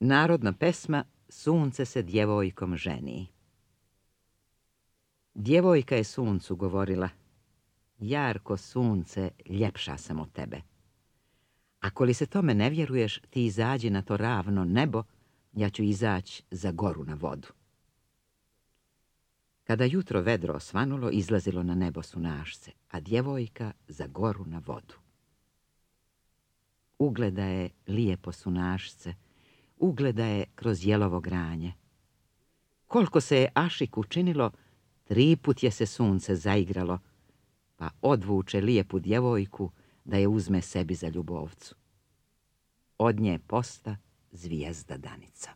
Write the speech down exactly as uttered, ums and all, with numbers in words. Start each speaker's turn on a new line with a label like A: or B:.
A: Narodna pesma Sunce se djevojkom ženi. Djevojka je suncu govorila: jarko sunce, ljepša sam od tebe. Ako li se tome ne vjeruješ, ti izađi na to ravno nebo, ja ću izaći za goru na vodu. Kada jutro vedro osvanulo, izlazilo na nebo sunašce, a djevojka za goru na vodu. Ugleda je lijepo sunašce, ugleda je kroz jelovo granje. Koliko se je Ašik učinilo, tri put je se sunce zaigralo, pa odvuče lijepu djevojku da je uzme sebi za ljubovcu. Od nje posta zvijezda Danica.